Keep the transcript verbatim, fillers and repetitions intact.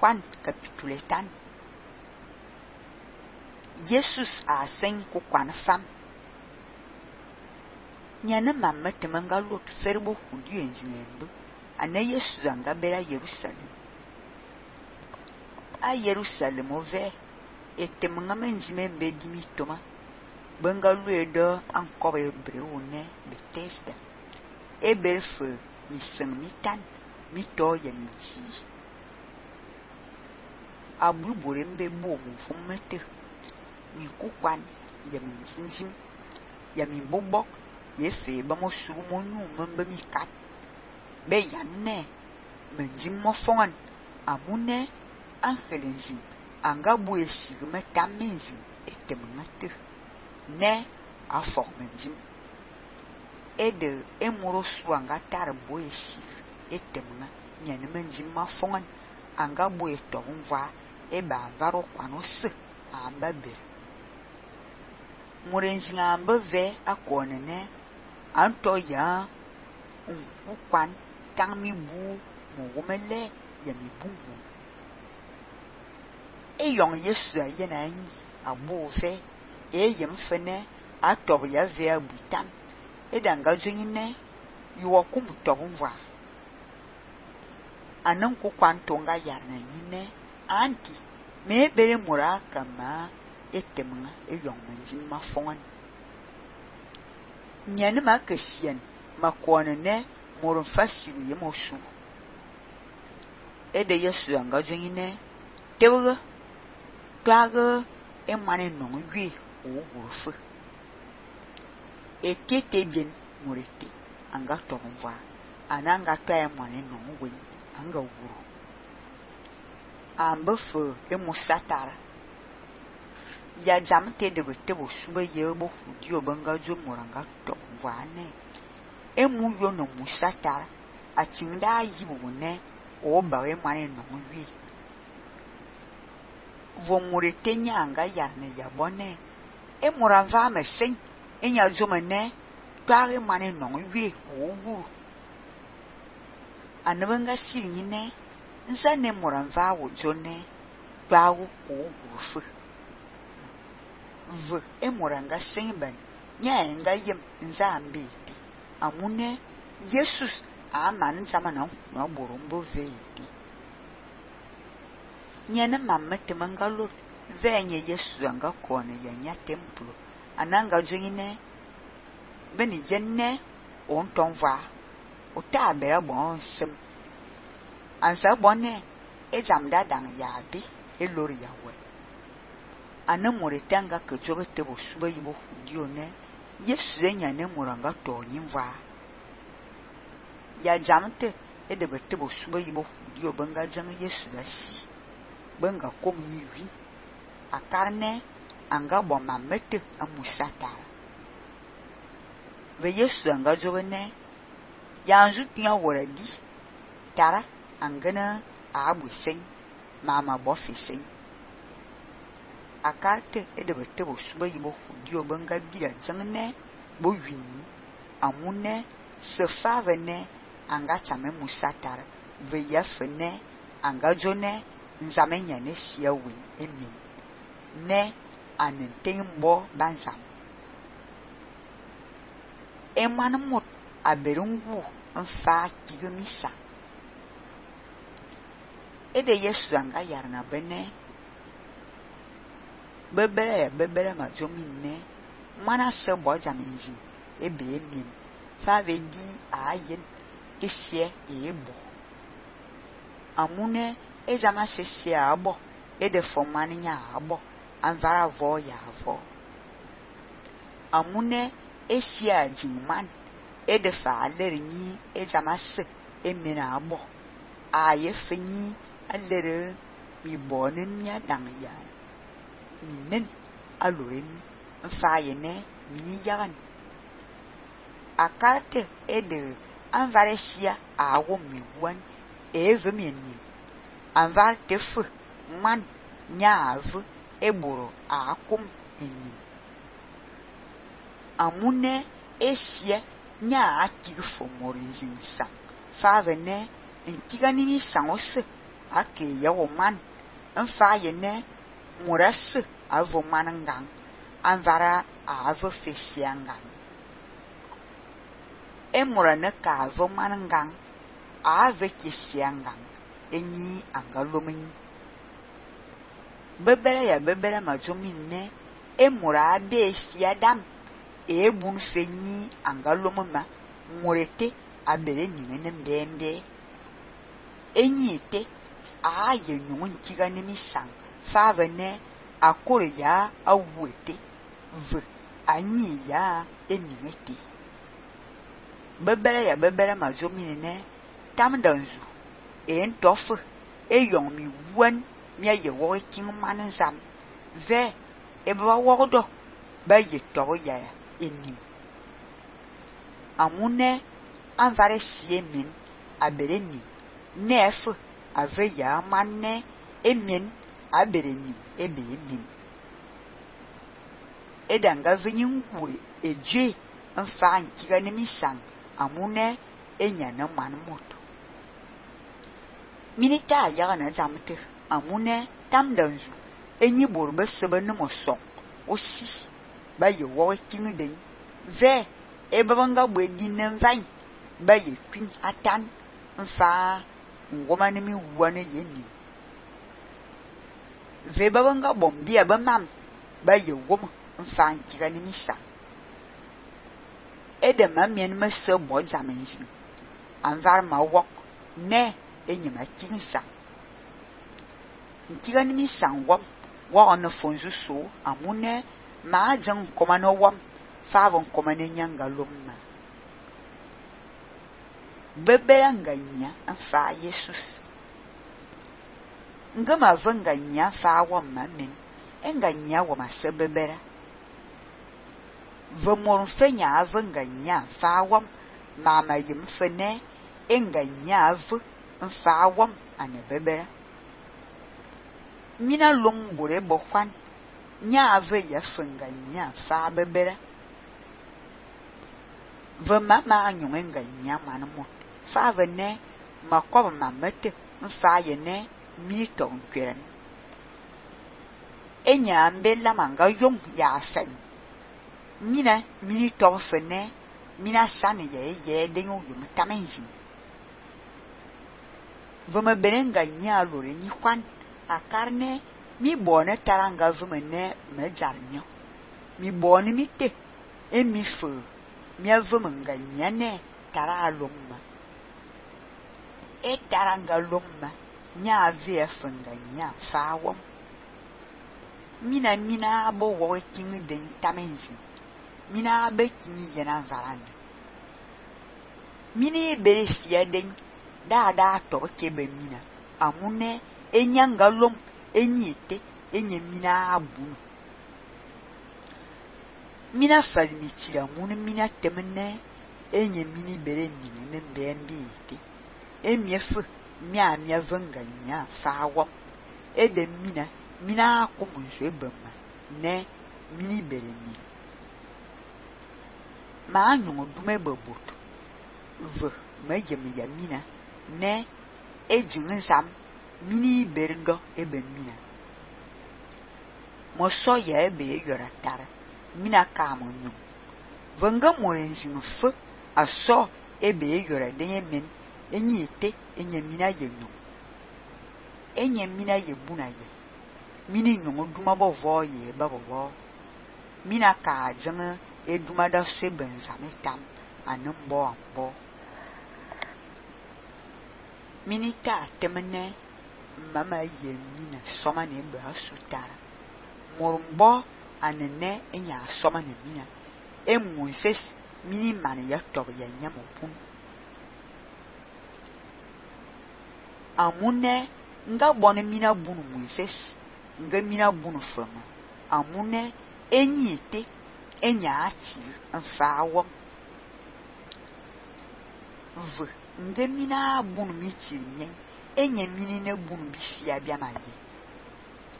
Juan capítulo tan. Jesus a sen ku kwan fam. Nyane mamma temanga lot ferbo hudu enzinembe. Ana Jesus anga bera Jerusalem. A Jerusalem ove etemanga menzimembe dimitoma. Benga luedo ankobe breune Bethesda. Ebefe mi sen mi tan mi to ya mi ji. Abu borembe bo mu fumete. Mi kukwan ya mi zinjim ya mi bobok ye fe ba mo su mo nyu membe mi kat be yanne menjim mo fongan amune angelenjin anga bu esi me tamenjin etemate ne afok menjim ede emoro su anga tar bu esi etemna nyane menjim ma fongan anga bu eto nva eba varo kwanose amba ber murenjin amba ve akonene anto ya unkwan tangmi bu mo womele ya mi bumu e yong Yesu ayena yi abo ve e yem fene atob ya ve abutam e danga zwingine yuwa kum tobunwa anan ku kwanto nga yarna yine anti me bere mura kama etemna e yong menjin ma fongan nyane ma kashian makone ne moron fasiri ye mosu e de Yesu anga zwingine tewga twaga e mane no wi o gurfu e tete bien morete anga tonva ananga twa e mane no wi anga guru ambefu e musatara ya jamte de betebo suba yebo dio banga zo moranga tonva ne e mu yo no musatara atinda yibu ne o ba e mane no wi vo morete nyanga yarne ya bone e moranva me sen enya zomene tware mane no wi owu anabanga sinyine nzane moranva wo jone twawo owu fu v e moranga sen ban nyanga yem nzambeti amune Jesus aman zamana no borombo veiti nyane mamma temangalo venye Yesu anga kone ya nya templo ananga zwingine beni jenne on tonva o ta bera bon sem ansa bonne e jamda dang ya bi e lori ya we anamore tanga ke jobe te bo suba yibo dio ne Yesu enya ne moranga to nyimva ya jamte e de bete bo suba yibo dio banga jang Yesu da si banga kom yiwi akarne anga bo mamete amusata ve Yesu anga jobe ne yanzu tiya woradi tara angana abu sen mama bo fisen akarte e de bete bo suba yibo dio banga bia jangne bo wini amune se favene anga chame musatara ve yafene anga jone nzamenya ne sia win emin ne anentembo banzam emanmot aberungu mfa tigumisa ede Yesu anga yarna bene bebere bebere ma jomine mana se boja menji ebe emin fa vedi ayen kisie ebo amune ejama sese abo ede fomani nya abo anvara vo ya vo amune esia jinman ede fa alerni ejama se emina abo aye fenyi alere mi bone mia dang ya minen aloren fa yene mini yagan akarte ede anvare sia awo mi wan eve meni anvar tefu man nyav eboro akum eni amune esie nya akigfo morinjinsa fa vene ntigani ni sangose ake ya wo man mfa ye ne murase avo manangang anvara avo fesiangang emura ne ka avo manangang ave kesiangang enyi angalomeni bebere ya bebere majominne emura abe fiadam ebun fenyi angalomema murete abere nyene mbembe enyi te a ye nyun kiga nimi sang fave ne akore ya awete v anyi ya enimete bebere ya bebere majomini ne tamdanzu e ntofu e yong mi wan mi ye wo king manzam ve e ba wodo ba ye to ya enim amune anvare siemin abereni nefu ave ya manne emin abereni ebe emin edanga venyingwe eje mfa nkiga nimisang amune enya na manmoto minita ya na zamte amune tamdanzu enyi borbe sebe ne moson osi ba ye wo king den ve ebanga bwedi ne mvan ba ye kwin atan mfa ngoma ne mi wane yeni ve babanga bombia ba mam ba ye woma mfa nkiga ni misa ede mamien me se bo jamenji anvar ma wok ne enyima kinsa nkiga ni misa wom wa ona fonzu so amune ma jan koma no wom fa von koma ne nyanga lomma bebera nganya afa Jesus ngama vanganya fa wom mamen enganya wo mase bebera vamor fenya avanganya fa wom mama yim fene enganya av fa wom ane bebera mina longbore bokwan nya ave ya fanganya fa bebera vamama anyong enganya manmo fa vene makob mamete mfa ye ne mi ton kweren enya mbela manga yong ya fen mina mini ton fene mina sane ye ye denyo yum tamenji vama benenga nya lore ni kwan akarne mi bone taranga vumene mejarnyo mi bone mi te emi fu mi avumanga nya ne tara lomma e taranga lomma nya vie funga nya fawom mina mina bo wo king den tamenzi mina be kinyi yena varanda mini be fia den da da to kebe mina amune enyanga lom enyite enye mina abu mina fazmi tira mun mina temne enye mini bere ni ne mbembi ite emiefu mia mia vanganya fawo ede mina mina akumunso ebema ne mini bereni ma anyo dume bobot v mejem ya mina ne ejin sam mini berdo ebe mina mo so ya ebe yora tara mina ka monyo vanga mo enjin fu aso ebe yora denye men enyi ite enye mina yenyo enye mina yebuna ye mini nyongo duma bo vo ye ba bo mina ka jang eduma da se benzame tam anumbo ambo mini ta temene mama ye mina soma ne ba sutara morumbo anene enya soma ne mina emunses mini man ya to ya nyamopun amune nga bone mina bunu munses nga mina bunu fama amune enyite enya ati mfawom v nga mina bunu mitiri nyen enye mini ne bunu bifia bia maye